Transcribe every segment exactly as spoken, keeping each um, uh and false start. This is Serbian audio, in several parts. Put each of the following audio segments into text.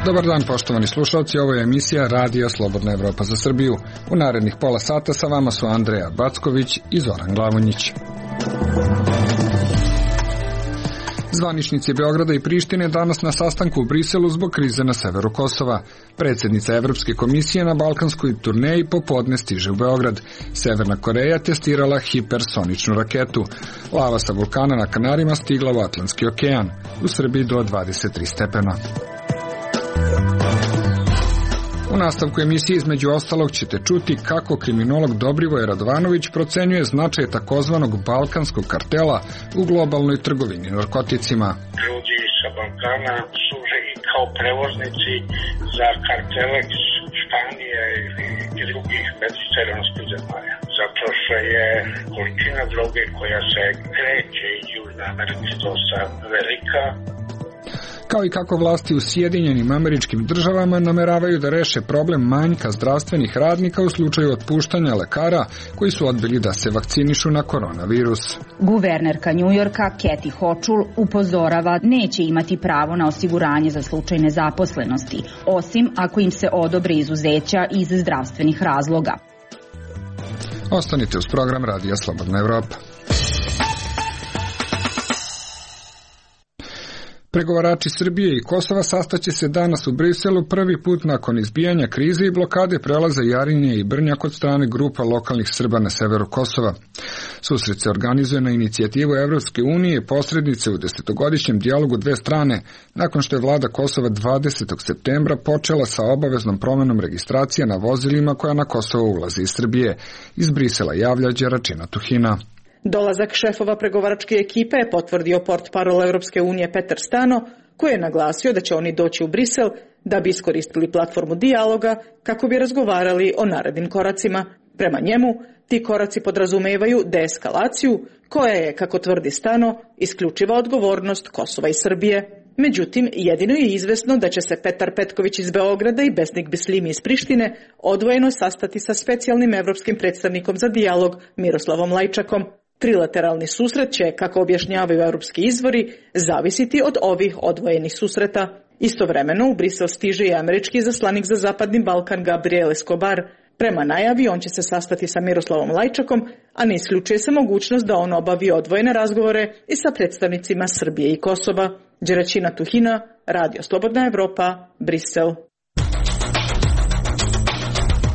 Dobar dan, poštovani slušalci, ovo je emisija Radija Slobodna Evropa za Srbiju. U narednih pola sata sa vama su Andreja Backović i Zoran Glavonjić. Zvaničnici Beograda i Prištine danas na sastanku u Briselu zbog krize na severu Kosova. Predsjednica Evropske komisije na balkanskoj turneji popodne stiže u Beograd. Severna Koreja testirala hipersoničnu raketu. Lava sa vulkana na Kanarima stigla u Atlantski okean. U Srbiji do dvadeset tri stepena. U nastavku emisije između ostalog ćete čuti kako kriminolog Dobrivoje Radovanović procenjuje značaj takozvanog balkanskog kartela u globalnoj trgovini narkoticima. Ljudi sa Balkana služe i kao prevoznici za kartele iz Španije i drugih mediteranskih zemalja. Zato što je količina droge koja se kreće iz Južne Amerike dosta velika. Kao i kako vlasti u Sjedinjenim Američkim Državama nameravaju da reše problem manjka zdravstvenih radnika u slučaju otpuštanja lekara koji su odbili da se vakcinišu na koronavirus. Guvernerka Njujorka Kathy Hochul upozorava neće imati pravo na osiguranje za slučaj nezaposlenosti, osim ako im se odobre izuzeća iz zdravstvenih razloga. Ostanite uz program Radija Slobodna Evropa. Pregovarači Srbije i Kosova sastaće se danas u Briselu prvi put nakon izbijanja krize i blokade prelaza Jarinje i Brnjak od strane grupa lokalnih Srba na severu Kosova. Susret se organizuje na inicijativu Evropske unije i posrednice u desetogodišnjem dijalogu dve strane, nakon što je vlada Kosova dvadesetog septembra počela sa obaveznom promenom registracije na vozilima koja na Kosovo ulaze iz Srbije. Iz Brisela javlja Đeračina Tuhina. Dolazak šefova pregovaračke ekipe je potvrdio portparol Evropske unije Petar Stano, koji je naglasio da će oni doći u Brisel da bi iskoristili platformu dijaloga kako bi razgovarali o narednim koracima. Prema njemu, ti koraci podrazumevaju deeskalaciju, koja je, kako tvrdi Stano, isključiva odgovornost Kosova i Srbije. Međutim, jedino je izvesno da će se Petar Petković iz Beograda i Besnik Bislimi iz Prištine odvojeno sastati sa specijalnim evropskim predstavnikom za dijalog Miroslavom Lajčakom. Trilateralni susret će, kako objašnjavaju europski izvori, zavisiti od ovih odvojenih susreta. Istovremeno u Brisel stiže i američki izaslanik za Zapadni Balkan Gabriel Escobar. Prema najavi on će se sastati sa Miroslavom Lajčakom, a ne isključuje se mogućnost da on obavi odvojene razgovore i sa predstavnicima Srbije i Kosova. Đeračina Tuhina, Radio Slobodna Evropa, Brisel.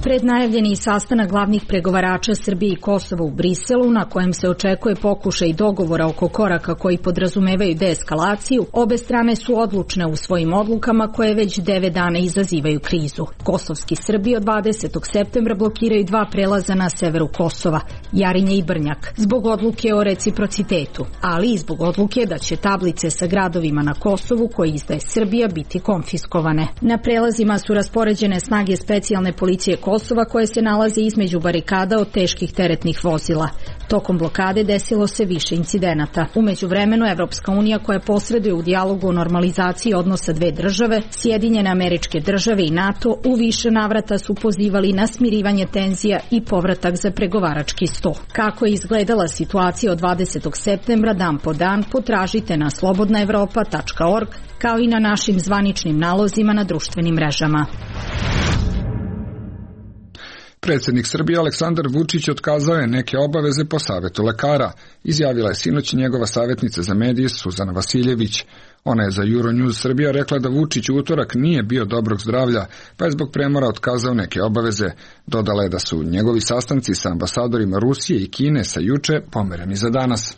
Prednajavljeni sastanak glavnih pregovarača Srbije i Kosova u Briselu, na kojem se očekuje pokušaj dogovora oko koraka koji podrazumevaju deeskalaciju, obe strane su odlučne u svojim odlukama koje već devet dana izazivaju krizu. Kosovski Srbi od dvadesetog septembra blokiraju dva prelaza na severu Kosova, Jarinje i Brnjak, zbog odluke o reciprocitetu, ali i zbog odluke da će tablice sa gradovima na Kosovu koje izdaje Srbija biti konfiskovane. Na prelazima su raspoređene snage specijalne policije Kosova koje se nalaze između barikada od teških teretnih vozila. Tokom blokade desilo se više incidenata. U međuvremenu Evropska unija koja posreduje u dijalogu o normalizaciji odnosa dve države, Sjedinjene Američke Države i NATO u više navrata su pozivali na smirivanje tenzija i povratak za pregovarački sto. Kako je izgledala situacija od dvadesetog septembra dan po dan, potražite na slobodna evropa tačka org kao i na našim zvaničnim nalozima na društvenim mrežama. Predsjednik Srbije Aleksandar Vučić otkazao je neke obaveze po savjetu lekara, izjavila je sinoć njegova savjetnica za medije Suzana Vasiljević. Ona je za Euronews Srbija rekla da Vučić u utorak nije bio dobrog zdravlja, pa je zbog premora otkazao neke obaveze. Dodala je da su njegovi sastanci sa ambasadorima Rusije i Kine sa juče pomereni za danas.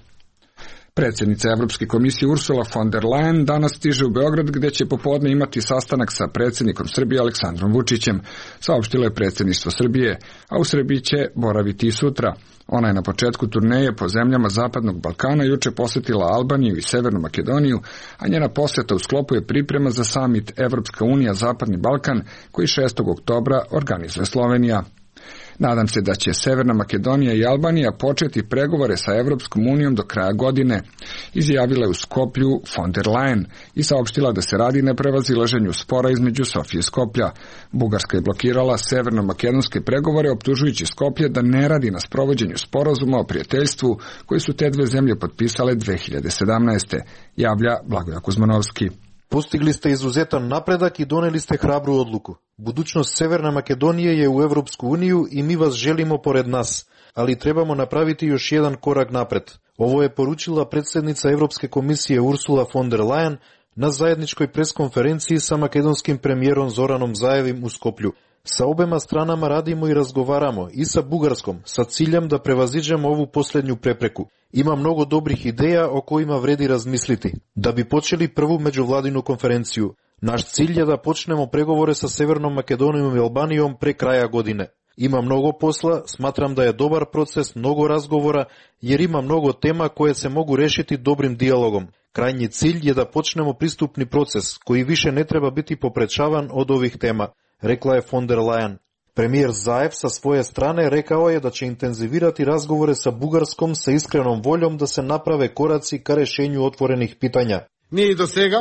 Predsjednica Evropske komisije Ursula von der Leyen danas stiže u Beograd gdje će popodne imati sastanak sa predsjednikom Srbije Aleksandrom Vučićem, saopštilo je predsjedništvo Srbije, a u Srbiji će boraviti i sutra. Ona je na početku turneje po zemljama Zapadnog Balkana juče posjetila Albaniju i Severnu Makedoniju, a njena posjeta u sklopu je priprema za samit Evropska unija Zapadni Balkan koji šestog oktobra organizuje Slovenija. Nadam se da će Severna Makedonija i Albanija početi pregovore sa Evropskom unijom do kraja godine, izjavila je u Skoplju von der Leyen i saopštila da se radi na prevazilaženju spora između Sofije i Skoplja. Bugarska je blokirala severno-makedonske pregovore optužujući Skoplje da ne radi na sprovođenju sporazuma o prijateljstvu koji su te dve zemlje potpisale dve hiljade sedamnaeste. Javlja Blagoja Kuzmanovski. Postigli ste izuzetan napredak i doneli ste hrabru odluku. Budućnost Severne Makedonije je u Evropsku uniju i mi vas želimo pored nas, ali trebamo napraviti još jedan korak napred. Ovo je poručila predsjednica Evropske komisije Ursula von der Leyen na zajedničkoj preskonferenciji sa makedonskim premijerom Zoranom Zaevim u Skoplju. Sa obema stranama radimo i razgovaramo, i sa Bugarskom, sa ciljem da prevaziđemo ovu posljednju prepreku. Ima mnogo dobrih ideja o kojima vredi razmisliti. Da bi počeli prvu međuvladinu konferenciju, naš cilj je da počnemo pregovore sa Severnom Makedonijom i Albanijom pre kraja godine. Ima mnogo posla, smatram da je dobar proces, mnogo razgovora, jer ima mnogo tema koje se mogu rešiti dobrim dijalogom. Krajnji cilj je da počnemo pristupni proces, koji više ne treba biti poprečavan od ovih tema, rekla je von der Leyen. Premijer Zaev sa svoje strane rekao je da će intenzivirati razgovore sa Bugarskom sa iskrenom voljom da se naprave koraci ka rešenju otvorenih pitanja. Ние и до сега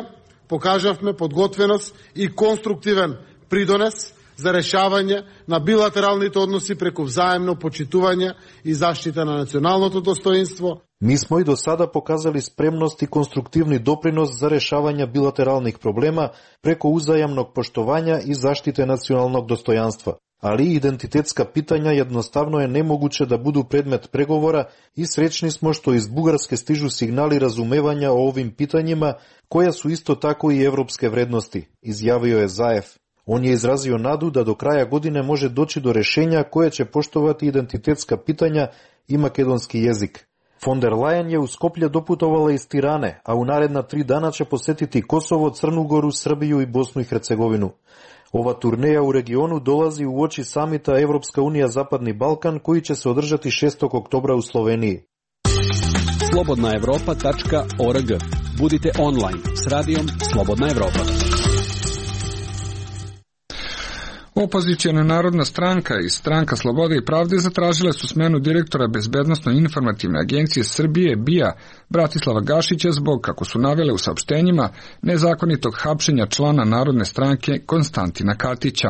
покажавме подготвеност и конструктивен придонес за решавање на билатералните односи преку взаемно почитување и заштита на националното достоинство. Mi smo i do sada pokazali spremnost i konstruktivni doprinos za rešavanje bilateralnih problema preko uzajamnog poštovanja i zaštite nacionalnog dostojanstva. Ali identitetska pitanja jednostavno je nemoguće da budu predmet pregovora i srećni smo što iz Bugarske stižu signali razumevanja o ovim pitanjima, koja su isto tako i evropske vrednosti, izjavio je Zaev. On je izrazio nadu da do kraja godine može doći do rešenja koje će poštovati identitetska pitanja i makedonski jezik. Von der Leyen je u Skoplje doputovala iz Tirane, a u naredna tri dana će posetiti Kosovo, Crnu Goru, Srbiju i Bosnu i Hercegovinu. Ova turneja u regionu dolazi u oči samita Evropska unija Zapadni Balkan, koji će se održati šestog oktobra u Sloveniji. slobodna evropa tačka org. Budite online s radijom Slobodna Evropa. Opozicijona Narodna stranka i Stranka slobode i pravde zatražile su smenu direktora Bezbednosno-informativne agencije Srbije B I A Bratislava Gašića zbog, kako su navele u saopštenjima, nezakonitog hapšenja člana Narodne stranke Konstantina Katića.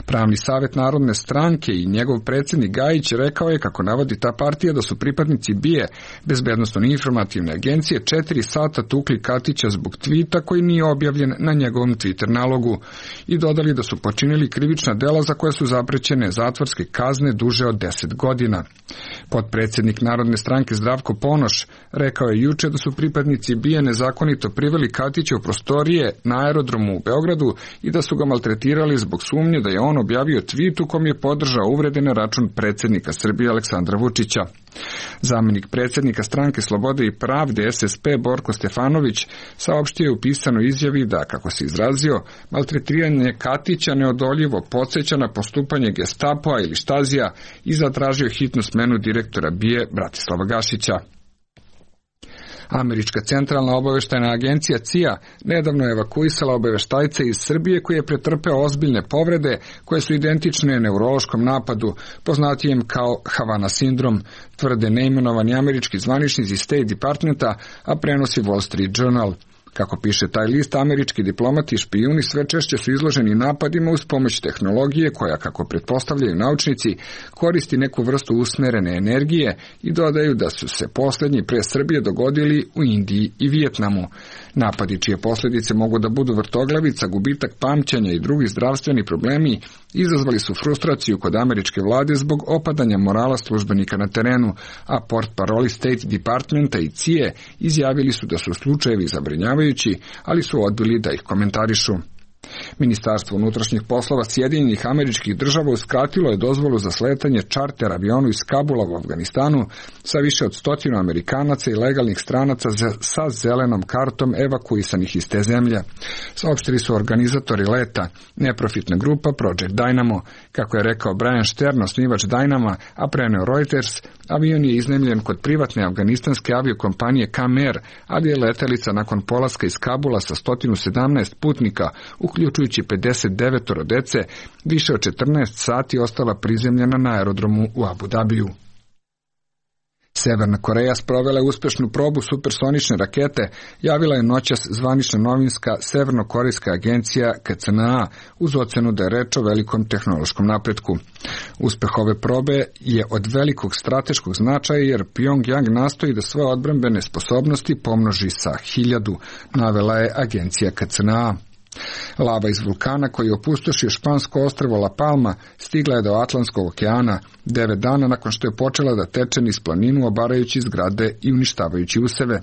Pravni savjet Narodne stranke i njegov predsjednik Gajić rekao je, kako navodi ta partija, da su pripadnici B I A Bezbednosno-informativne agencije četiri sata tukli Katića zbog tvita koji nije objavljen na njegovom Twitter nalogu i dodali da su počinili krivična dela za koje su zaprećene zatvorske kazne duže od deset godina. Potpredsjednik Narodne stranke Zdravko Ponoš rekao je juče da su pripadnici B I A nezakonito priveli Katića u prostorije na aerodromu u Beogradu i da su ga maltretirali zbog sumnje da je on objavio tvit u kom je podržao uvrede na račun predsjednika Srbije Aleksandra Vučića. Zamenik predsjednika Stranke slobode i pravde S S P Borko Stefanović saopštio je u pisanoj izjavi da, kako se izrazio, maltretiranje Katića neodoljivo podsjeća na postupanje Gestapoa ili Štazija i zatražio hitnu smenu direktora B I A Bratislava Gašića. Američka centralna obaveštajna agencija C I A nedavno je evakuisala obaveštajca iz Srbije koji je pretrpeo ozbiljne povrede koje su identične neurološkom napadu, poznatijem kao Havana sindrom, tvrde neimenovani američki zvaničnici State Departmenta, a prenosi Wall Street Journal. Kako piše taj list, američki diplomati i špijuni sve češće su izloženi napadima uz pomoć tehnologije koja, kako pretpostavljaju naučnici, koristi neku vrstu usmerene energije i dodaju da su se posljednji pre Srbije dogodili u Indiji i Vijetnamu. Napadi čije posljedice mogu da budu vrtoglavica, gubitak pamćenja i drugi zdravstveni problemi izazvali su frustraciju kod američke vlade zbog opadanja morala službenika na terenu, a portparoli State Departmenta i C I A izjavili su da su slučajevi zabrinjavajući, ali su odbili da ih komentarišu. Ministarstvo unutrašnjih poslova Sjedinjenih Američkih Država uskratilo je dozvolu za sletanje čarter avionu iz Kabula u Afganistanu sa više od stotinu Amerikanaca i legalnih stranaca sa zelenom kartom evakuisanih iz te zemlje. Saopštili su organizatori leta, neprofitna grupa Project Dynamo. Kako je rekao Brian Stern, osnivač Dynama, a preneo Reuters, avion je iznajmljen kod privatne afganistanske aviokompanije Kamer, ali je letelica nakon polaska iz Kabula sa sto sedamnaest putnika, uključujući pedeset devet dece, više od četrnaest sati ostala prizemljena na aerodromu u Abu Dabiju. Severna Koreja sprovela je uspešnu probu supersonične rakete, javila je noćas zvanična novinska Severnokorejska agencija K C N A uz ocenu da je reč o velikom tehnološkom napretku. Uspeh ove probe je od velikog strateškog značaja jer Pyongyang nastoji da svoje odbrambene sposobnosti pomnoži sa hiljadu, navela je agencija K C N A. Lava iz vulkana koji je opustošio špansko ostrvo La Palma stigla je do Atlantskog okeana devet dana nakon što je počela da teče niz planinu obarajući zgrade i uništavajući useve.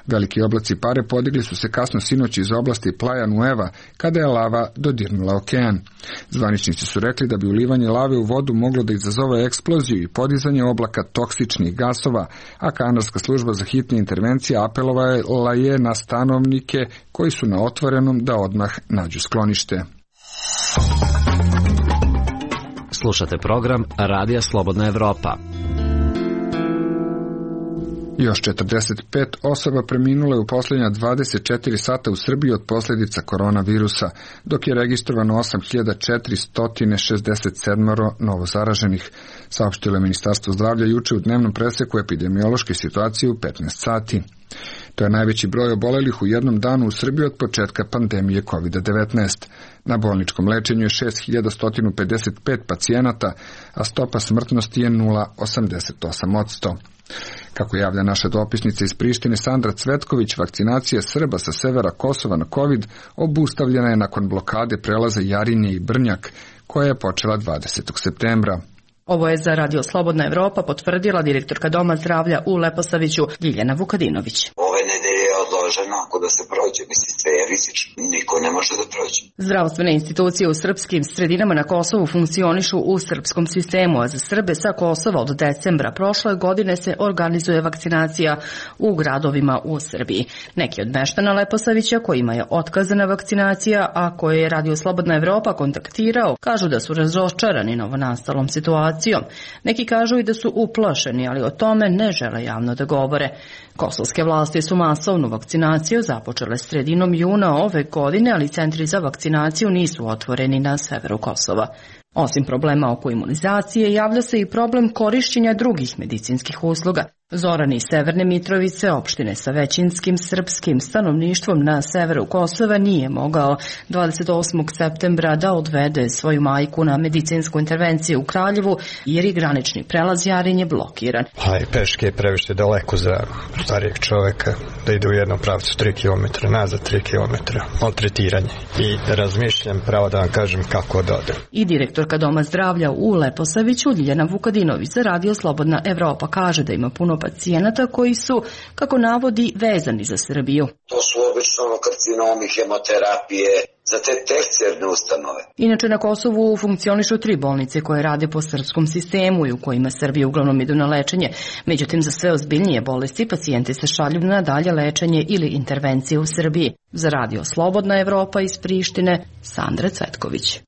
Veliki oblaci pare podigli su se kasno sinoć iz oblasti Playa Nueva kada je lava dodirnula okean. Zvaničnici su rekli da bi ulivanje lave u vodu moglo da izazove eksploziju i podizanje oblaka toksičnih gasova, a kanadska služba za hitne intervencije apelovala je na stanovnike koji su na otvorenom da odmah nađu sklonište. Slušate program Radija Slobodna Evropa. Još četrdeset pet osoba preminule u posljednja dvadeset četiri sata u Srbiji od posljedica koronavirusa, dok je registrovano osam hiljada četiristo šezdeset sedam novozaraženih, saopštilo je Ministarstvo zdravlja juče u dnevnom preseku epidemiološke situacije u petnaest sati. To je najveći broj obolelih u jednom danu u Srbiji od početka pandemije kovid devetnaest. Na bolničkom lečenju je šest hiljada sto pedeset pet pacijenata, a stopa smrtnosti je nula zarez osamdeset osam posto. Kako javlja naša dopisnica iz Prištine Sandra Cvetković, vakcinacija Srba sa severa Kosova na COVID obustavljena je nakon blokade prelaza Jarinje i Brnjak, koja je počela dvadesetog septembra. Ovo je za Radio Slobodna Evropa potvrdila direktorka Doma zdravlja u Leposaviću Ljiljana Vukadinović. Ove nedelje je odloženo, ako da se prođe, mislim, sve je rizično, niko ne može da prođe. Zdravstvene institucije u srpskim sredinama na Kosovu funkcionišu u srpskom sistemu, a za Srbe sa Kosova od decembra prošle godine se organizuje vakcinacija u gradovima u Srbiji. Neki od meštana Leposavića kojima je otkazana vakcinacija, a koje je Radio Slobodna Evropa kontaktirao, kažu da su razočarani novonastalom situacijom. Neki kažu i da su uplašeni, ali o tome ne žele javno da govore. Kosovske vlasti su masovnu vakcinaciju započele sredinom juna ove godine, ali centri za vakcinaciju nisu otvoreni na severu Kosova. Osim problema oko imunizacije, javlja se i problem korišćenja drugih medicinskih usluga. Zoran iz Severne Mitrovice, opštine sa većinskim srpskim stanovništvom na severu Kosova, nije mogao dvadeset osmog septembra da odvede svoju majku na medicinsku intervenciju u Kraljevu, jer je granični prelaz Jarinje blokiran. A i peške je previše daleko za starijeg čoveka da ide u jednom pravcu tri kilometra, nazad tri kilometra, maltretiranje. I razmišljam, pravo da vam kažem, kako da odem. I direktorka Doma zdravlja u Leposaviću Ljiljana Vukadinović za Radio Slobodna Evropa kaže da ima puno pacijenata koji su, kako navodi, vezani za Srbiju. To su obično karcinomi, hemoterapije, za te tercijarne ustanove. Inače na Kosovu funkcionišu tri bolnice koje rade po srpskom sistemu i u kojima Srbi uglavnom idu na lečenje. Međutim, za sve ozbiljnije bolesti pacijenti se šalju na dalje lečenje ili intervencije u Srbiji. Za Radio Slobodna Evropa iz Prištine, Sandra Cvetković.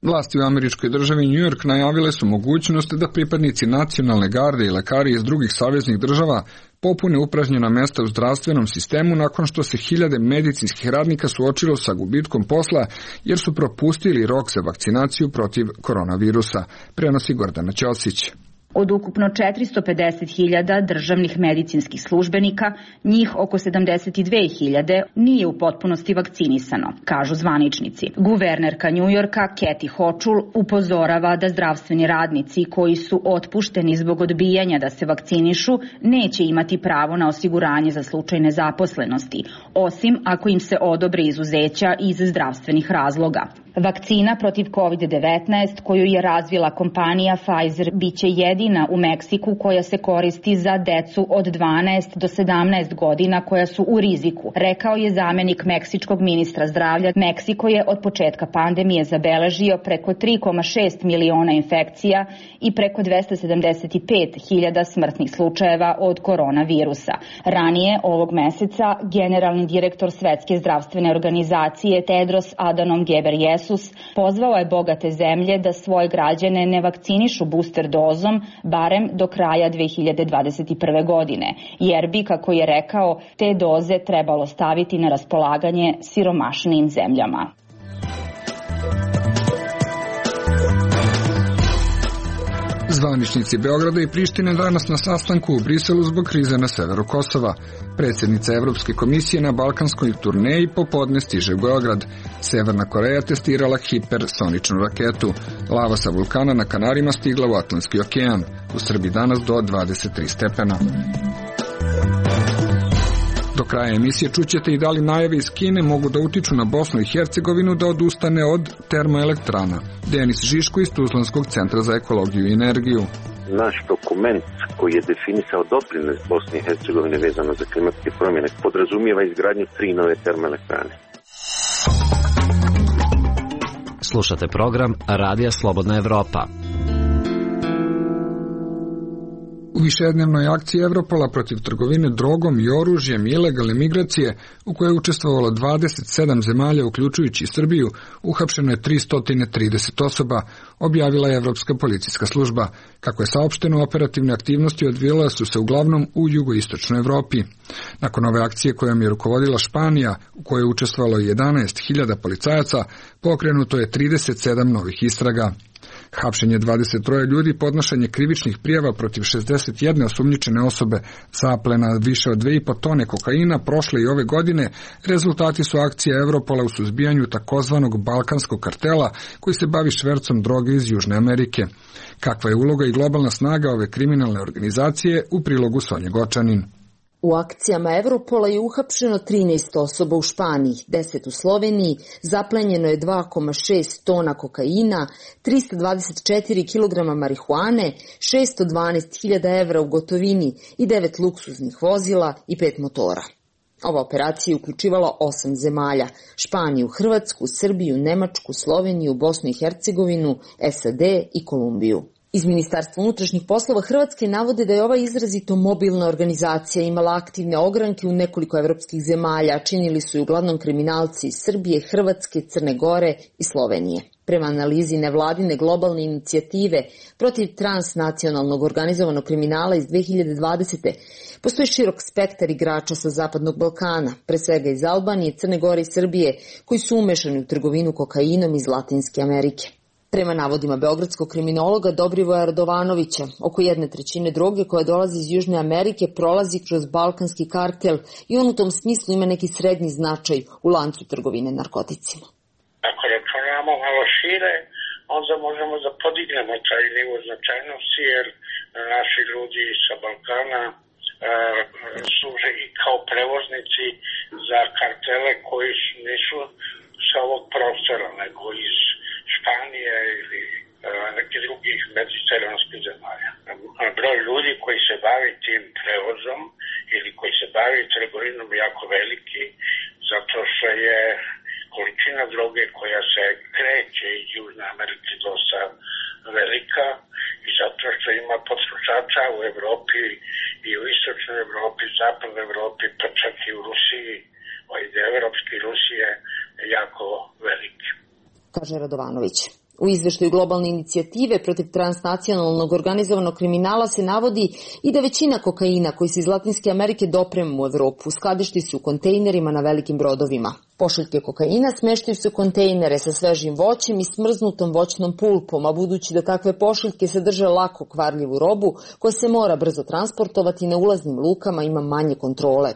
Vlasti u američkoj državi New York najavile su mogućnost da pripadnici nacionalne garde i lekari iz drugih saveznih država popune upražnjena mesta u zdravstvenom sistemu nakon što se hiljade medicinskih radnika suočilo sa gubitkom posla jer su propustili rok za vakcinaciju protiv koronavirusa, prenosi Gordana Ćosić. Od ukupno četiristo pedeset hiljada državnih medicinskih službenika, njih oko sedamdeset dve hiljade nije u potpunosti vakcinisano, kažu zvaničnici. Guvernerka Njujorka Kathy Hochul upozorava da zdravstveni radnici koji su otpušteni zbog odbijanja da se vakcinišu neće imati pravo na osiguranje za slučaj nezaposlenosti, osim ako im se odobre izuzeća iz zdravstvenih razloga. Vakcina protiv kovid devetnaest koju je razvila kompanija Pfizer biće jedina u Meksiku koja se koristi za decu od dvanaest do sedamnaest godina koja su u riziku, rekao je zamenik meksičkog ministra zdravlja. Meksiko je od početka pandemije zabeležio preko tri zarez šest miliona infekcija i preko dvesta sedamdeset pet hiljada smrtnih slučajeva od koronavirusa. Ranije ovog meseca generalni direktor Svetske zdravstvene organizacije Tedros Adhanom Ghebreyesus pozvao je bogate zemlje da svoje građane ne vakcinišu booster dozom barem do kraja dve hiljade dvadeset prve. godine, jer bi, kako je rekao, te doze trebalo staviti na raspolaganje siromašnijim zemljama. Zvaničnici Beograda i Prištine danas na sastanku u Briselu zbog krize na severu Kosova. Predsjednica Evropske komisije na balkanskoj turneji popodne stiže u Beograd. Severna Koreja testirala hipersoničnu raketu. Lava sa vulkana na Kanarima stigla u Atlantski okean. U Srbiji danas do dvadeset tri stepena. Do kraja emisije čućete i da li najave iz Kine mogu da utiču na Bosnu i Hercegovinu da odustane od termoelektrana. Denis Žiško iz Tuzlanskog centra za ekologiju i energiju. Naš dokument koji je definisao doprinos Bosne i Hercegovine vezano za klimatske promjene podrazumijeva izgradnju tri nove termoelektrane. Slušate program Radija Slobodna Evropa. U višednevnoj akciji Evropola protiv trgovine drogom i oružjem i ilegalne migracije, u kojoj je učestvovalo dvadeset sedam zemalja, uključujući Srbiju, uhapšeno je tristo trideset osoba, objavila je Evropska policijska služba. Kako je saopšteno, operativne aktivnosti odvijale su se uglavnom u jugoistočnoj Evropi. Nakon ove akcije kojom je rukovodila Španija, u kojoj je učestvovalo jedanaest hiljada policajaca, pokrenuto je trideset sedam novih istraga. Hapšenje dvadeset troje ljudi, podnošenje krivičnih prijava protiv šezdeset jedne osumnjičene osobe, zaplena više od dve i po tone kokaina prošle i ove godine, rezultati su akcije Evropola u suzbijanju takozvanog balkanskog kartela koji se bavi švercom droge iz Južne Amerike. Kakva je uloga i globalna snaga ove kriminalne organizacije, u prilogu Sonje Gočanin. U akcijama Evropola je uhapšeno trinaest osoba u Španiji, deset u Sloveniji, zaplenjeno je dva zarez šest tona kokaina, trista dvadeset četiri kilograma marihuane, šesto dvanaest hiljada evra u gotovini i devet luksuznih vozila i pet motora. Ova operacija je uključivala osam zemalja: Španiju, Hrvatsku, Srbiju, Nemačku, Sloveniju, Bosnu i Hercegovinu, S A D i Kolumbiju. Iz Ministarstva unutrašnjih poslova Hrvatske navode da je ova izrazito mobilna organizacija imala aktivne ogranke u nekoliko evropskih zemalja, činili su i uglavnom kriminalci iz Srbije, Hrvatske, Crne Gore i Slovenije. Prema analizi nevladine globalne inicijative protiv transnacionalnog organizovanog kriminala iz dve hiljade dvadesete. postoji širok spektar igrača sa Zapadnog Balkana, pre svega iz Albanije, Crne Gore i Srbije, koji su umešani u trgovinu kokainom iz Latinske Amerike. Prema navodima beogradskog kriminologa Dobrivoja Radovanovića, oko jedne trećine droge koja dolazi iz Južne Amerike prolazi kroz balkanski kartel i on u tom smislu ima neki srednji značaj u lancu trgovine narkoticima. Ako računamo malo šire, onda možemo da podignemo taj nivo značajnosti, jer naši ljudi sa Balkana e, služe i kao prevoznici za kartele koji nisu sa ovog prostora, nego iz Španije ili e, nekih drugih mediteranskih zemalja. Broj ljudi koji se bavi tim prevozom ili koji se bavi trgovinom jako veliki, zato što je količina droge koja se kreće iz Južne Amerike dosta velika i zato što ima potrošača u Evropi i u istočnoj Evropi, zapadnoj Evropi, pa čak i u Rusiji, ovaj deo evropski Rusije je jako veliki. Kaže Radovanović. U izveštaju globalne inicijative protiv transnacionalnog organizovanog kriminala se navodi i da većina kokaina koji se iz Latinske Amerike doprema u Evropu skladišti su u kontejnerima na velikim brodovima. Pošiljke kokaina smeštaju se u kontejnere sa svežim voćem i smrznutom voćnom pulpom, a budući da takve pošiljke sadrže lako kvarljivu robu koja se mora brzo transportovati, na ulaznim lukama ima manje kontrole.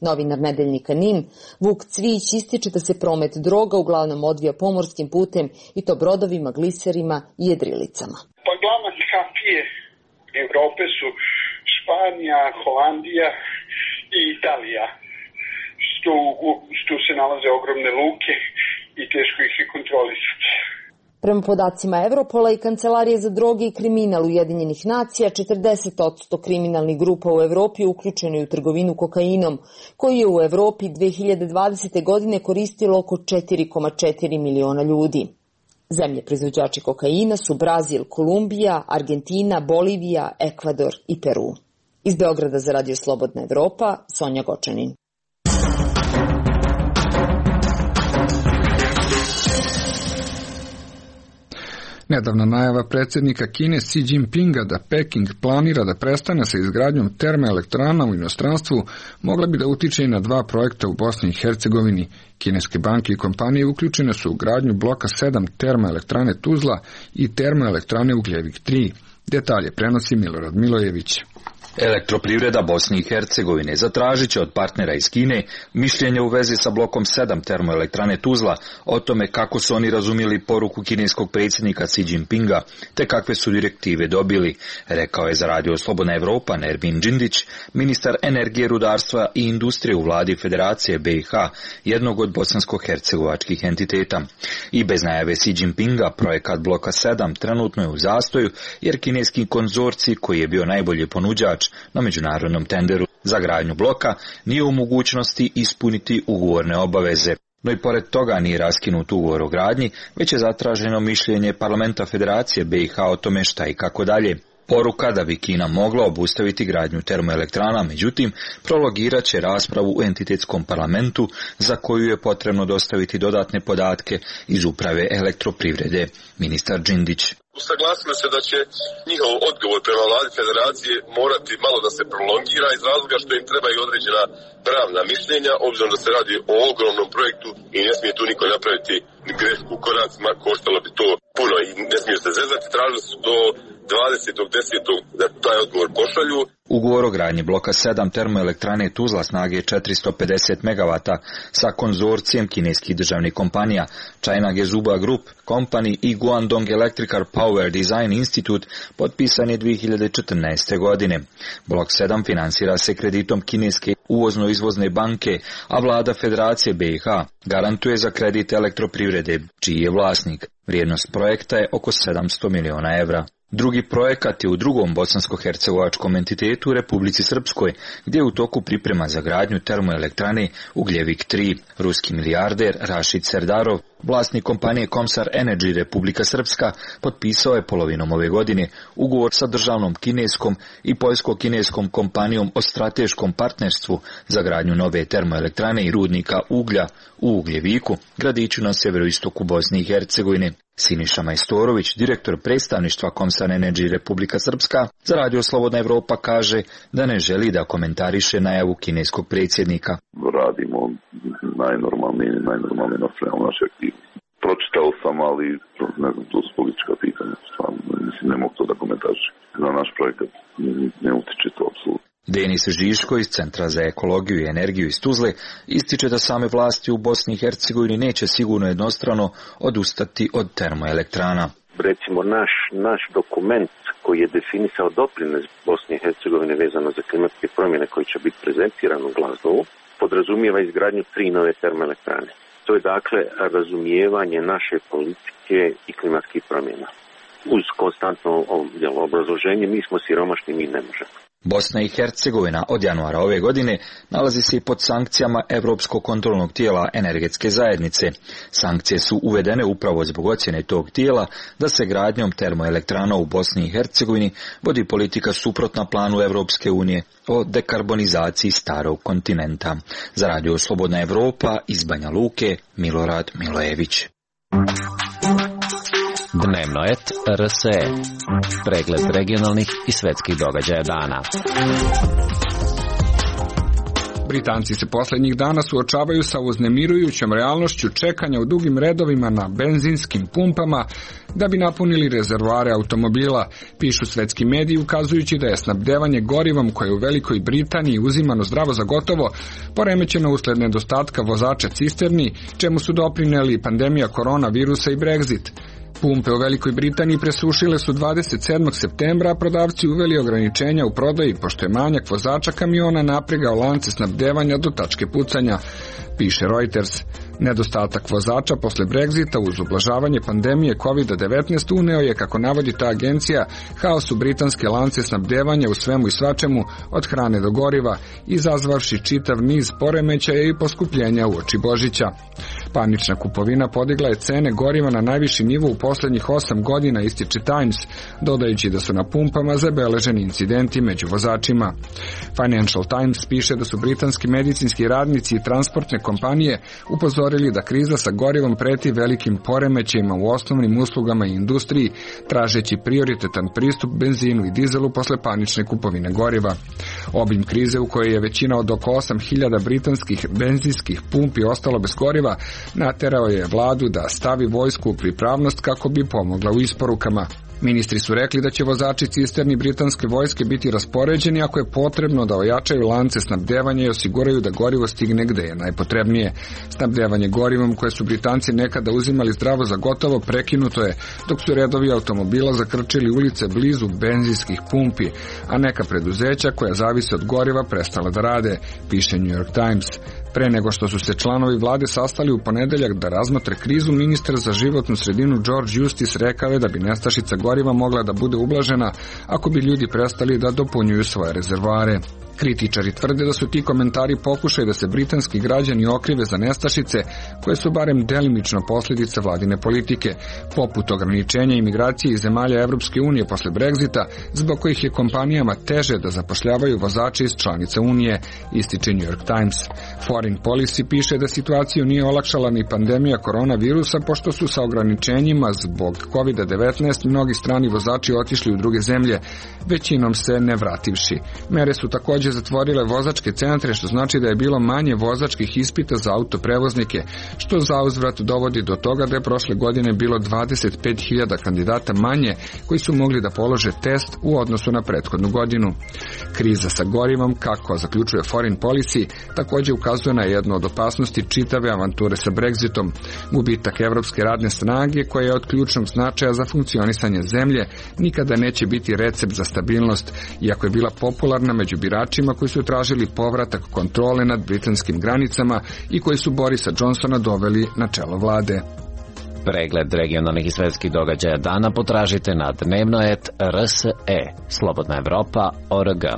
Novinar Nedeljnika N I N, Vuk Cvijić, ističe da se promet droga uglavnom odvija pomorskim putem i to brodovima, gliserima i jedrilicama. Pa glavne kapije Evrope su Španija, Holandija i Italija. Što, što se nalaze ogromne luke i teško ih je kontrolisati. Prema podacima Evropola i Kancelarije za droge i kriminal Ujedinjenih nacija, četrdeset posto kriminalnih grupa u Evropi uključeno je u trgovinu kokainom, koji je u Evropi dve hiljade dvadesete. godine koristilo oko četiri zarez četiri miliona ljudi. Zemlje proizvođači kokaina su Brazil, Kolumbija, Argentina, Bolivija, Ekvador i Peru. Iz Beograda za Radio Slobodna Evropa, Sonja Gočanin. Nedavna najava predsjednika Kine Xi Jinpinga da Peking planira da prestane sa izgradnjom termoelektrana u inostranstvu mogla bi da utiče i na dva projekta u Bosni i Hercegovini. Kineske banke i kompanije uključene su u gradnju bloka sedam termoelektrane Tuzla i termoelektrane Ugljevik tri. Detalje prenosi Milorad Milojević. Elektroprivreda Bosne i Hercegovine zatražit će od partnera iz Kine mišljenje u vezi sa blokom sedam termoelektrane Tuzla o tome kako su oni razumjeli poruku kineskog predsjednika Xi Jinpinga te kakve su direktive dobili, rekao je za Radio Slobodna Evropa Nermin Džindić, ministar energije, rudarstva i industrije u vladi Federacije B i H, jednog od bosansko-hercegovačkih entiteta. I bez najave Xi Jinpinga projekat bloka sedam trenutno je u zastoju jer kineski konzorcij, koji je bio najbolji ponuđač na međunarodnom tenderu za gradnju bloka, nije u mogućnosti ispuniti ugovorne obaveze. No i pored toga nije raskinut ugovor o gradnji, već je zatraženo mišljenje parlamenta Federacije B i H o tome šta i kako dalje. Poruka da bi Kina mogla obustaviti gradnju termoelektrana, međutim, prologirat će raspravu u entitetskom parlamentu za koju je potrebno dostaviti dodatne podatke iz uprave elektroprivrede. Ministar Džindić. Usaglasili se da će njihov odgovor prema vladi Federacije morati malo da se prolongira iz razloga što im treba i određena pravna mišljenja, obzirom da se radi o ogromnom projektu i ne smije tu niko napraviti grešku u koracima, koštalo bi to puno i ne smiju se zezati. Tražili su do dvadesetog desetog da taj odgovor pošalju. Ugovor o gradnji bloka sedam termoelektrane Tuzla snage četiristo pedeset megavata sa konzorcijem kineskih državnih kompanija China Gezhouba Group Company i Guangdong Electrical Power Design Institute potpisan je dvije hiljade četrnaeste. godine. Blok sedam finansira se kreditom kineske uvozno-izvozne banke, a vlada Federacije B i H garantuje za kredit elektroprivrede, čiji je vlasnik. Vrijednost projekta je oko sedamsto miliona evra. Drugi projekat je u drugom bosansko-hercegovačkom entitetu u Republici Srpskoj, gdje je u toku priprema za gradnju termoelektrane Ugljevik tri. Ruski milijarder Rašid Serdarov, vlasnik kompanije Komsar Energy Republika Srpska, potpisao je polovinom ove godine ugovor sa državnom kineskom i poljsko-kineskom kompanijom o strateškom partnerstvu za gradnju nove termoelektrane i rudnika uglja u Ugljeviku, gradiću na severoistoku Bosne i Hercegovine. Siniša Majstorović, direktor predstavništva Komsar Energy Republika Srpska, za Radio Slobodna Evropa kaže da ne želi da komentariše najavu kineskog predsjednika. Radimo najnormalnije, najnormalnije nastavljamo naše aktivnosti. Pročitao sam, ali ne znam, to su politička pitanja. Stvarno, mislim, ne mogu to da komentarišem. Na naš projekat ne utiče to apsolutno. Denis Žiško iz Centra za ekologiju i energiju iz Tuzle ističe da same vlasti u Bosni i Hercegovini neće sigurno jednostrano odustati od termoelektrana. Recimo naš, naš dokument koji je definisao doprinos Bosne i Hercegovine vezano za klimatske promjene koji će biti prezentiran u Glazgovu, podrazumijeva izgradnju tri nove termoelektrane. To je dakle razumijevanje naše politike i klimatskih promjena. Uz konstantno obrazloženje mi smo siromašni, mi ne možemo. Bosna i Hercegovina od januara ove godine nalazi se i pod sankcijama Europskog kontrolnog tijela energetske zajednice. Sankcije su uvedene upravo zbog ocjene tog tijela da se gradnjom termoelektrana u Bosni i Hercegovini vodi politika suprotna planu Europske unije o dekarbonizaciji starog kontinenta. Za Radio Slobodna Evropa iz Banja Luke, Milorad Milojević. Dnevno et R S E. Pregled regionalnih i svetskih događaja dana. Britanci se posljednjih dana suočavaju sa uznemirujućom realnošću čekanja u dugim redovima na benzinskim pumpama da bi napunili rezervoare automobila, pišu svetski mediji, ukazujući da je snabdevanje gorivom koje je u Velikoj Britaniji uzimano zdravo za gotovo poremećeno usled nedostatka vozača cisterni, čemu su doprineli pandemija koronavirusa i Brexit. Pumpe u Velikoj Britaniji presušile su dvadeset sedmog septembra, a prodavci uveli ograničenja u prodaji, pošto je manjak vozača kamiona napregao lance snabdevanja do tačke pucanja, piše Reuters. Nedostatak vozača posle Brexita uz ublažavanje pandemije kovid devetnaest uneo je, kako navodi ta agencija, haos u britanske lance snabdevanja u svemu i svačemu, od hrane do goriva, izazvavši čitav niz poremećaja i poskupljenja uoči Božića. Panična kupovina podigla je cene goriva na najviši nivo u posljednjih osam godina, ističe Times, dodajući da su na pumpama zabeleženi incidenti među vozačima. Financial Times piše da su britanski medicinski radnici i transportne kompanije upozorili da kriza sa gorivom preti velikim poremećajima u osnovnim uslugama i industriji, tražeći prioritetan pristup benzinu i dizelu posle panične kupovine goriva. Obim krize, u kojoj je većina od oko osam hiljada britanskih benzinskih pumpi ostalo bez goriva, naterao je vladu da stavi vojsku u pripravnost kako bi pomogla u isporukama. Ministri su rekli da će vozači cisterni britanske vojske biti raspoređeni ako je potrebno da ojačaju lance snabdevanja i osiguraju da gorivo stigne gde je najpotrebnije. Snabdevanje gorivom koje su Britanci nekada uzimali zdravo za gotovo prekinuto je, dok su redovi automobila zakrčili ulice blizu benzinskih pumpi, a neka preduzeća koja zavise od goriva prestala da rade, piše New York Times. Pre nego što su se članovi vlade sastali u ponedeljak da razmotre krizu, ministar za životnu sredinu George Eustice rekao je da bi nestašica goriva mogla da bude ublažena ako bi ljudi prestali da dopunjuju svoje rezervoare. Kritičari tvrde da su ti komentari pokušaj da se britanski građani okrive za nestašice koje su barem delimično posljedice vladine politike, poput ograničenja imigracije iz zemalja Evropske unije posle Brexita, zbog kojih je kompanijama teže da zapošljavaju vozače iz članica Unije, ističe New York Times. Foreign Policy piše da situaciju nije olakšala ni pandemija koronavirusa, pošto su sa ograničenjima zbog kovid devetnaest mnogi strani vozači otišli u druge zemlje, većinom se ne vrativši. Mere su također zatvorile vozačke centre, što znači da je bilo manje vozačkih ispita za autoprevoznike, što zauzvrat dovodi do toga da je prošle godine bilo dvadeset pet hiljada kandidata manje koji su mogli da polože test u odnosu na prethodnu godinu. Kriza sa gorivom, kako zaključuje Foreign Policy, također ukazuje na jednu od opasnosti čitave avanture sa Brexitom. Gubitak evropske radne snage, koja je od ključnog značaja za funkcionisanje zemlje, nikada neće biti recept za stabilnost, iako je bila popularna među biračima koji su tražili povratak kontrole nad britanskim granicama i koji su Borisa Johnsona doveli na čelo vlade. Pregled regionalnih i svetskih događaja dana potražite na dnevnoet R S E, Slobodna Evropa, O R G.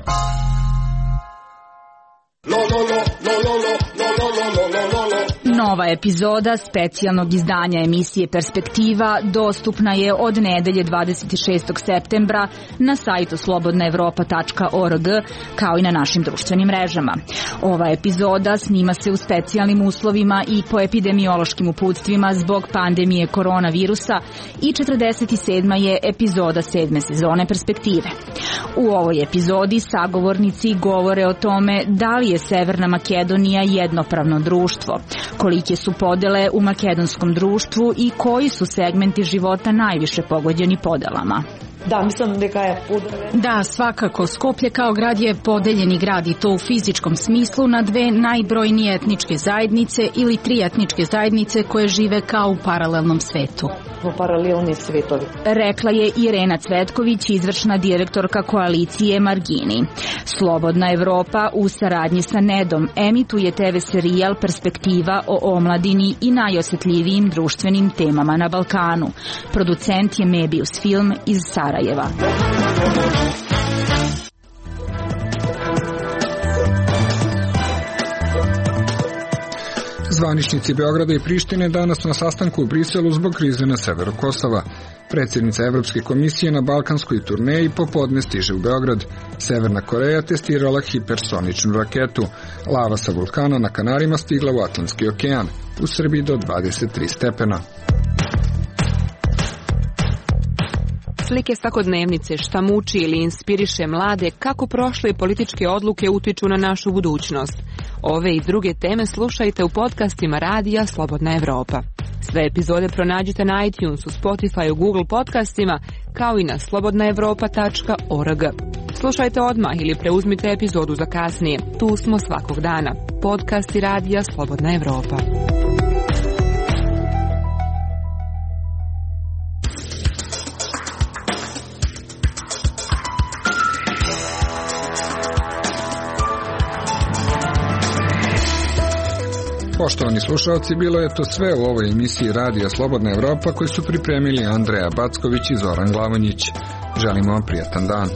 Nova epizoda specijalnog izdanja emisije Perspektiva dostupna je od nedelje dvadeset šestog septembra na sajtu slobodna evropa tačka org, kao i na našim društvenim mrežama. Ova epizoda snima se u specijalnim uslovima i po epidemiološkim uputstvima zbog pandemije koronavirusa i četrdeset sedma je epizoda sedme sezone Perspektive. U ovoj epizodi sagovornici govore o tome da li je Severna Makedonija jednopravno društvo, kolike su podele u makedonskom društvu i koji su segmenti života najviše pogođeni podelama. Da, mislim da je podele. Da, svakako. Skoplje kao grad je podeljeni grad i to u fizičkom smislu na dve najbrojnije etničke zajednice ili tri etničke zajednice koje žive kao u paralelnom svetu. Paralelni svetovi. Rekla je Irena Cvetković, izvršna direktorka koalicije Margini. Slobodna Evropa u saradnji sa Nedom emituje te ve serijal Perspektiva o omladini i najosjetljivijim društvenim temama na Balkanu. Producent je Mebius Film iz Sarajeva. Zvaničnici Beograda i Prištine danas na sastanku u Briselu zbog krize na severu Kosova. Predsjednica Evropske komisije na balkanskoj turneji popodne stiže u Beograd. Severna Koreja testirala hipersoničnu raketu. Lava sa vulkana na Kanarima stigla u Atlantski okean. U Srbiji do dvadeset tri stepena. Slike svakodnevnice, šta muči ili inspiriše mlade, kako prošle političke odluke utiču na našu budućnost. Ove i druge teme slušajte u podcastima radija Slobodna Evropa. Sve epizode pronađite na iTunesu, Spotifyu, Google podcastima, kao i na slobodna evropa tačka org. Slušajte odmah ili preuzmite epizodu za kasnije. Tu smo svakog dana. Podcasti radija Slobodna Evropa. Poštovani slušalci, bilo je to sve u ovoj emisiji Radija Slobodna Evropa koju su pripremili Andreja Backović i Zoran Glavonjić. Želimo vam prijatan dan.